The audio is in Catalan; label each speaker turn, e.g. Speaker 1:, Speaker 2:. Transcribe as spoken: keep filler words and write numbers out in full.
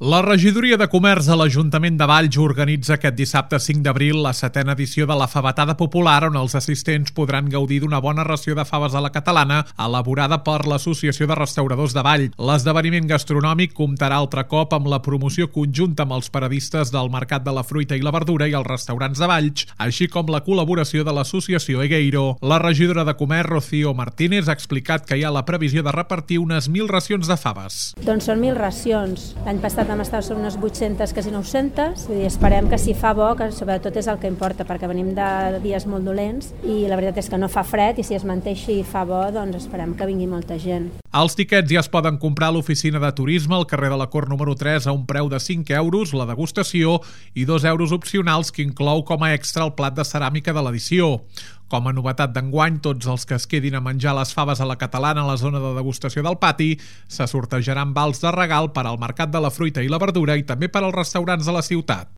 Speaker 1: La regidoria de comerç de l'Ajuntament de Valls organitza aquest dissabte cinc d'abril la setena edició de la Favetada Popular, on els assistents podran gaudir d'una bona ració de faves a la catalana elaborada per l'Associació de Restauradors de Valls. L'esdeveniment gastronòmic comptarà altre cop amb la promoció conjunta amb els paradistes del Mercat de la Fruita i la Verdura i els restaurants de Valls, així com la col·laboració de l'Associació Egueiro. La regidora de Comerç, Rocío Martínez, ha explicat que hi ha la previsió de repartir unes mil racions de faves.
Speaker 2: Doncs són mil racions. L'any passat vam estar sobre unes vuit-centes, quasi nou-centes. Vull dir, esperem que si fa bo, que sobretot és el que importa, perquè venim de dies molt dolents i la veritat és que no fa fred i si es manté així i fa bo, doncs esperem que vingui molta gent.
Speaker 1: Els tiquets ja es poden comprar a l'oficina de turisme al carrer de la Cort número tres a un preu de cinc euros, la degustació, i dos euros opcionals, que inclou com a extra el plat de ceràmica de l'edició. Com a novetat d'enguany, tots els que es quedin a menjar les faves a la catalana a la zona de degustació del pati se sortejaran vals de regal per al Mercat de la Fruita i la Verdura i també per als restaurants de la ciutat.